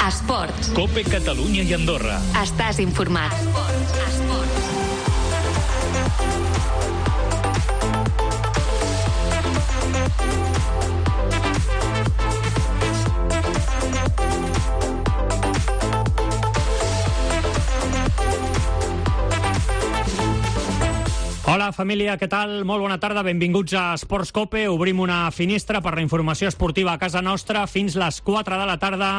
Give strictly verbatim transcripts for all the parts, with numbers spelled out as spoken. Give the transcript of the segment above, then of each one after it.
Esports. COPE Catalunya i Andorra. Estàs informat. Esports. Esports. Hola, família, què tal? Molt bona tarda, benvinguts a Esports COPE. Obrim una finestra per la informació esportiva a casa nostra fins les quatre de la tarda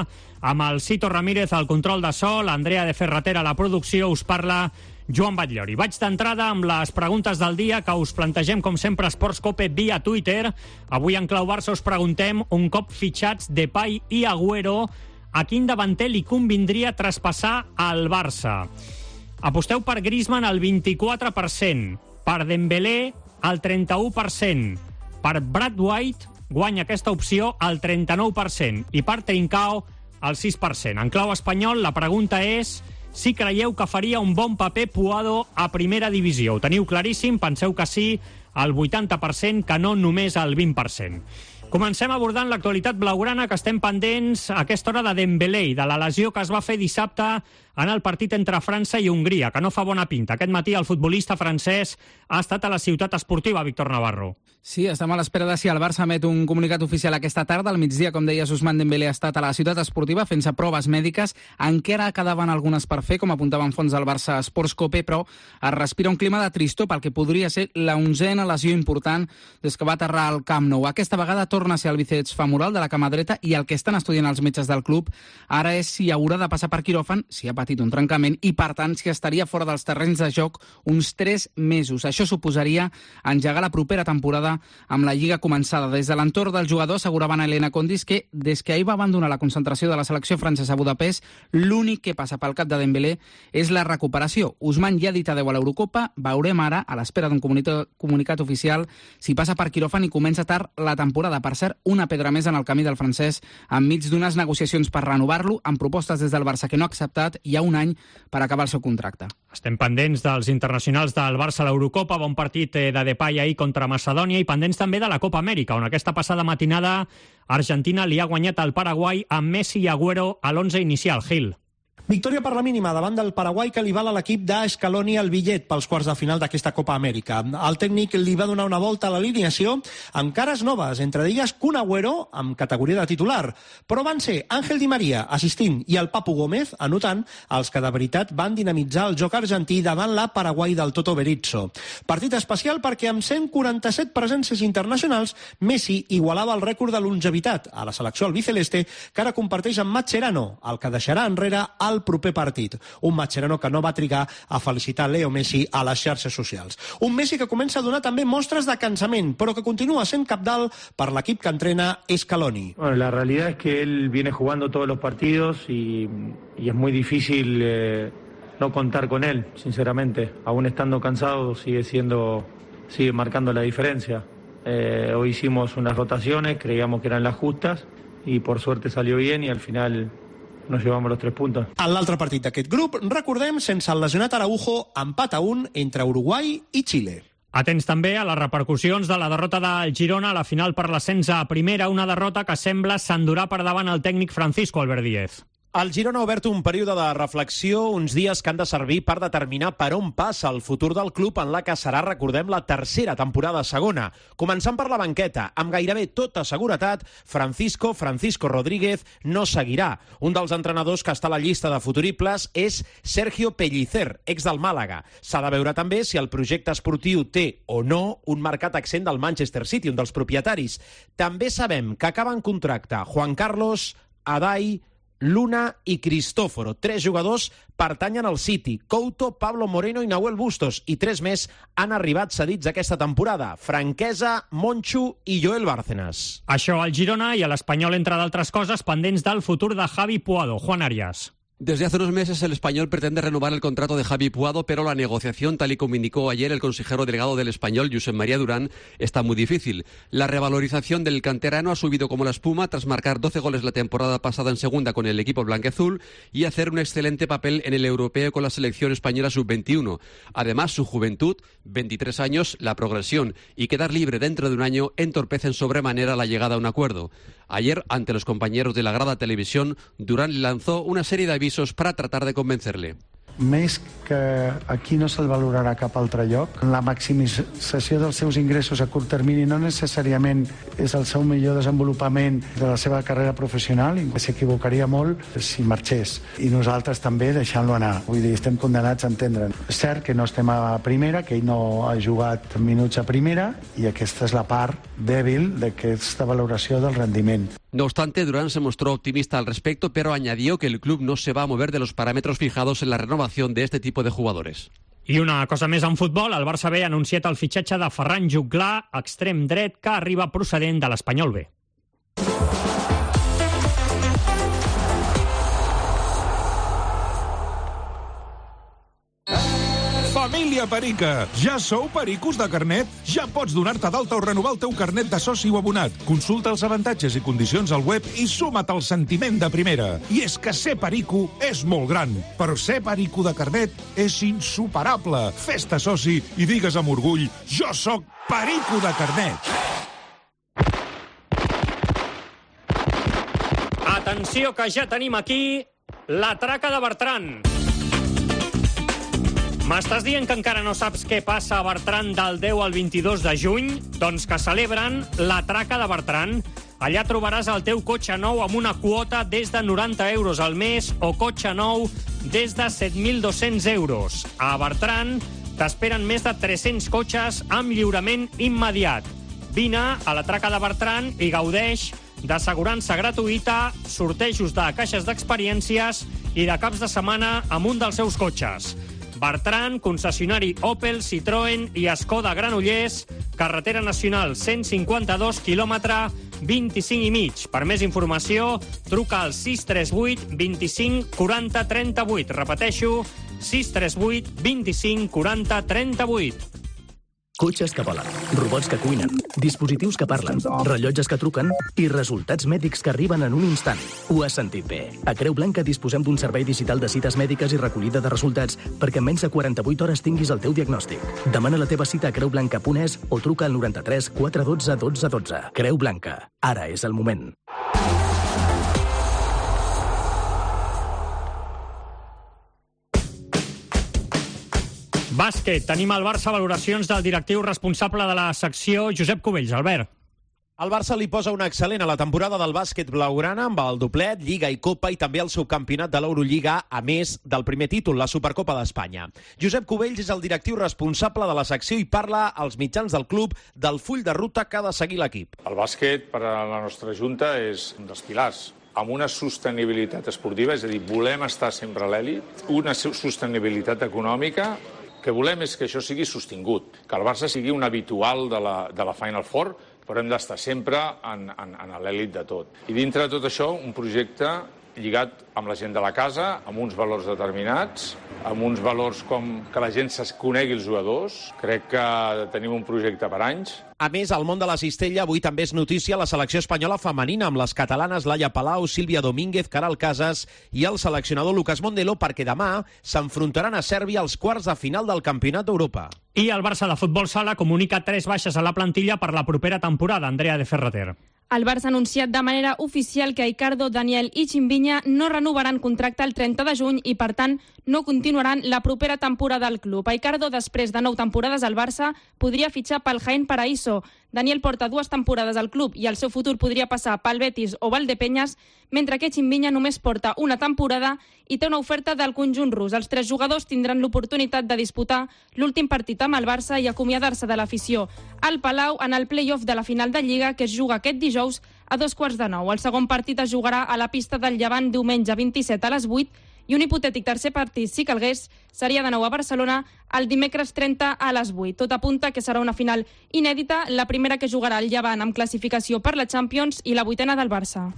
amb el Cito Ramírez al control de so, l'Andrea de Ferratera a la producció. Us parla Joan Batllori. Vaig d'entrada amb les preguntes del dia que us plantegem, com sempre, Esports COPE via Twitter. Avui en Clau Barça us preguntem, un cop fitxats Depay i Agüero, a quin davanter li convindria traspassar al Barça? Aposteu per Griezmann al vint-i-quatre per cent, per Dembélé al trenta-u per cent, per Brad White guanya aquesta opció al trenta-nou per cent i per Trincao al sis per cent. En clau espanyol, la pregunta és si creieu que faria un bon paper Puado a primera divisió. Ho teniu claríssim? Penseu que sí al vuitanta per cent, que no només al vint per cent. Comencem abordant l'actualitat blaugrana, que estem pendents a aquesta hora de Dembélé i de la lesió que es va fer dissabte en el partit entre França i Hongria, que no fa bona pinta. Aquest matí el futbolista francès ha estat a la ciutat esportiva, Víctor Navarro. Sí, estem a l'espera de si el Barça emet un comunicat oficial aquesta tarda. Al migdia, com deies, Ousmane Dembélé ha estat a la ciutat esportiva fent-se proves mèdiques. Encara quedaven algunes per fer, com apuntaven fons del Barça Esports COPE, però es respira un clima de tristor pel que podria ser la onzena lesió important des que va aterrar al Camp Nou. Aquesta vegada torna a ser el bíceps femoral de la cama dreta i el que estan estudiant els metges del club ara és si haurà de passar per quiròfan, si ha patit un trencament i, per tant, si estaria fora dels terrenys de joc uns tres mesos. Això suposaria engegar la propera temporada amb la Lliga començada. Des de l'entorn del jugador asseguraven a Elena Condis que des que ahir va abandonar la concentració de la selecció francesa a Budapest, l'únic que passa pel cap de Dembélé és la recuperació. Ousmane ja ha dit adeu a l'Eurocopa. Veurem ara, a l'espera d'un comunicat, comunicat oficial, si passa per quiròfan i comença tard la temporada. Per cert, una pedra més en el camí del francès enmig d'unes negociacions per renovar-lo, amb propostes des del Barça que no ha acceptat, hi ha un any per acabar el seu contracte. Estem pendents dels internacionals del Barça a l'Eurocopa, bon partit de Depay ahir contra Macedònia, i pendents també de la Copa Amèrica, on aquesta passada matinada Argentina li ha guanyat al Paraguai amb Messi i Agüero a l'onze inicial. Gil. Victòria per la mínima davant del Paraguai, que li val a l'equip d'Escaloni el bitllet pels quarts de final d'aquesta Copa Amèrica. El tècnic li va donar una volta a l'alineació amb cares noves, entre d'elles Kun Agüero amb categoria de titular. Però van ser Ángel Di María assistint i el Papu Gómez anotant els que de veritat van dinamitzar el joc argentí davant la Paraguai del Toto Berizzo. Partit especial perquè amb cent quaranta-set presències internacionals Messi igualava el rècord de longevitat a la selecció albiceleste, que ara comparteix amb Mascherano, el que deixarà enrere el el proper partit. Un Mascherano que no va trigar a felicitar Leo Messi a les xarxes socials. Un Messi que comença a donar també mostres de cansament, però que continua sent cabdal per l'equip que entrena Scaloni. Bueno, la realidad es que él viene jugando todos los partidos y, y es muy difícil eh, no contar con él, sinceramente. Aún estando cansado sigue siendo, sigue marcando la diferencia. Eh, hoy hicimos unas rotaciones, creíamos que eran las justas y por suerte salió bien y al final nos llevamos los tres puntos. En l'altre partit d'aquest grup, recordem, sense el lesionat Araujo, empat a un entre Uruguai i Xile. Atents també a les repercussions de la derrota del Girona a la final per l'ascens a primera, una derrota que sembla s'endurà per davant el tècnic Francisco Albert Díez. El Girona ha obert un període de reflexió, uns dies que han de servir per determinar per on passa el futur del club en la que serà, recordem, la tercera temporada segona. Començant per la banqueta, amb gairebé tota seguretat, Francisco, Francisco Rodríguez, no seguirà. Un dels entrenadors que està a la llista de futuribles és Sergio Pellicer, ex del Màlaga. S'ha de veure també si el projecte esportiu té o no un marcat accent del Manchester City, un dels propietaris. També sabem que acaben contracte Juan Carlos, Adai, Luna i Cristóforo. Tres jugadors pertanyen al City. Couto, Pablo Moreno i Nahuel Bustos. I tres més han arribat cedits aquesta temporada. Franquesa, Monchu i Joel Bárcenas. Això al Girona i a l'Espanyol, entre d'altres coses, pendents del futur de Javi Puado. Juan Arias. Desde hace unos meses el Español pretende renovar el contrato de Javi Puado, pero la negociación, tal y como indicó ayer el consejero delegado del Español, Josep María Durán, está muy difícil. La revalorización del canterano ha subido como la espuma tras marcar doce goles la temporada pasada en segunda con el equipo blanquiazul y hacer un excelente papel en el europeo con la selección española sub veintiuno. Además, su juventud, veintitrés años, la progresión y quedar libre dentro de un año entorpecen sobremanera la llegada a un acuerdo. Ayer, ante los compañeros de la grada televisión, Durán lanzó una serie de avisos para tratar de convencerle. Més que aquí no se'l valorarà a cap altre lloc. La maximització dels seus ingressos a curt termini no necessàriament és el seu millor desenvolupament de la seva carrera professional, i s'equivocaria molt si marxés. I nosaltres també deixant-lo anar. Vull dir, estem condenats a entendre'n. És cert que no estem a primera, que ell no ha jugat minuts a primera, i aquesta és la part dèbil d'aquesta valoració del rendiment. No obstante, Durán se mostró optimista al respecto, pero añadió que el club no se va a mover de los parámetros fijados en la renovación de este tipo de jugadores. I una cosa més en futbol, el Barça B ha anunciat el fitxatge de Ferran Juglà, extrem dret, que arriba procedent de l'Espanyol B. Família Perica! Ja sou pericos de carnet? Ja pots donar-te d'alta o renovar el teu carnet de soci o abonat. Consulta els avantatges i condicions al web i suma't al sentiment de primera. I és que ser perico és molt gran, però ser perico de carnet és insuperable. Fes-te soci i digues amb orgull: jo sóc perico de carnet! Atenció, que ja tenim aquí la traca de Bertran. M'estàs dient que encara no saps què passa a Bertran del deu al vint-i-dos de juny? Doncs que celebren la traca de Bertran. Allà trobaràs el teu cotxe nou amb una quota des de noranta euros al mes o cotxe nou des de set mil dos-cents euros. A Bertran t'esperen més de tres-cents cotxes amb lliurament immediat. Vine a la traca de Bertran i gaudeix d'assegurança gratuïta, sortejos de caixes d'experiències i de caps de setmana amb un dels seus cotxes. Bertran, concessionari Opel, Citroën i Skoda Granollers, carretera nacional cent cinquanta-dos, quilòmetre vint-i-cinc i mig. Per més informació, truca al sis tres vuit vint-i-cinc quaranta trenta-vuit. Repeteixo, sis tres vuit vint-i-cinc quaranta trenta-vuit. Cotxes que volen, robots que cuinen, dispositius que parlen, rellotges que truquen i resultats mèdics que arriben en un instant. Ho has sentit bé. A Creu Blanca disposem d'un servei digital de cites mèdiques i recollida de resultats perquè en menys de quaranta-vuit hores tinguis el teu diagnòstic. Demana la teva cita a creu blanca punt es o truca al noranta-tres quatre dotze dotze dotze. Creu Blanca. Ara és el moment. Bàsquet. Tenim al Barça valoracions del directiu responsable de la secció, Josep Cubells. Albert. El Barça li posa una excel·lent a la temporada del bàsquet blaugrana amb el doblet, Lliga i Copa i també el subcampionat de l'Eurolliga, a més del primer títol, la Supercopa d'Espanya. Josep Cubells és el directiu responsable de la secció i parla als mitjans del club del full de ruta que ha de seguir l'equip. El bàsquet per a la nostra junta és un dels pilars, amb una sostenibilitat esportiva, és a dir, volem estar sempre a l'elit, una sostenibilitat econòmica. El que volem és que això sigui sostingut, que el Barça sigui un habitual de la, de la Final Four, però hem d'estar sempre en, en, en l'elit de tot. I dintre de tot això, un projecte lligat amb la gent de la casa, amb uns valors determinats, amb uns valors com que la gent es conegui els jugadors. Crec que tenim un projecte per anys. A més, al món de la cistella, avui també és notícia la selecció espanyola femenina amb les catalanes Laia Palau, Sílvia Domínguez, Caral Casas i el seleccionador Lucas Mondelo, perquè demà s'enfrontaran a Sèrbia als quarts de final del Campionat d'Europa. I el Barça de Futbol Sala comunica tres baixes a la plantilla per la propera temporada. Andrea de Ferrater. El Barça ha anunciat de manera oficial que Icardo, Daniel i Chimbinya no renovaran contracte el trenta de juny i, per tant, no continuaran la propera temporada al club. Icardo, després de nou temporades al Barça, podria fitxar pel Jaén Paraíso. Daniel porta dues temporades al club i el seu futur podria passar pel Betis o Valdepeñas, mentre que Chimbinya només porta una temporada i té una oferta del conjunt rus. Els tres jugadors tindran l'oportunitat de disputar l'últim partit amb el Barça i acomiadar-se de l'afició al Palau en el play-off de la final de Lliga que es juga aquest dijous a dos quarts de nou. El segon partit es jugarà a la pista del Llevant diumenge vint-i-set a les vuit i un hipotètic tercer partit, si calgués, seria de nou a Barcelona el dimecres trenta a les vuit. Tot apunta que serà una final inèdita, la primera que jugarà el Llevant amb classificació per la Champions i la vuitena del Barça.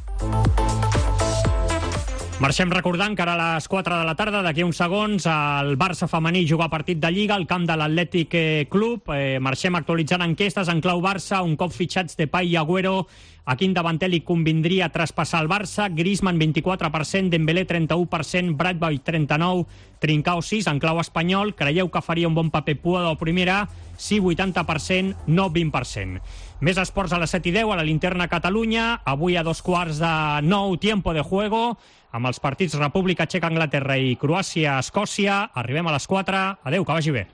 Marxem recordant que ara a les quatre de la tarda, d'aquí uns segons, el Barça femení juga partit de Lliga al camp de l'Atlètic Club. Eh, marxem actualitzant enquestes en clau Barça, un cop fitxats Depay i Agüero. A quin davanter li convindria traspassar el Barça? Griezmann, vint-i-quatre per cent, Dembélé, trenta-u per cent, Bradboy, trenta-nou per cent, Trincao, sis. En clau espanyol, creieu que faria un bon paper Puado o Primera? Sí, vuitanta per cent, no, vint per cent. Més esports a les set i deu, a la Linterna Catalunya. Avui a dos quarts de nou, tiempo de juego, amb els partits República Txeca, Anglaterra i Croàcia, Escòcia. Arribem a les quatre. Adéu, que vagi bé.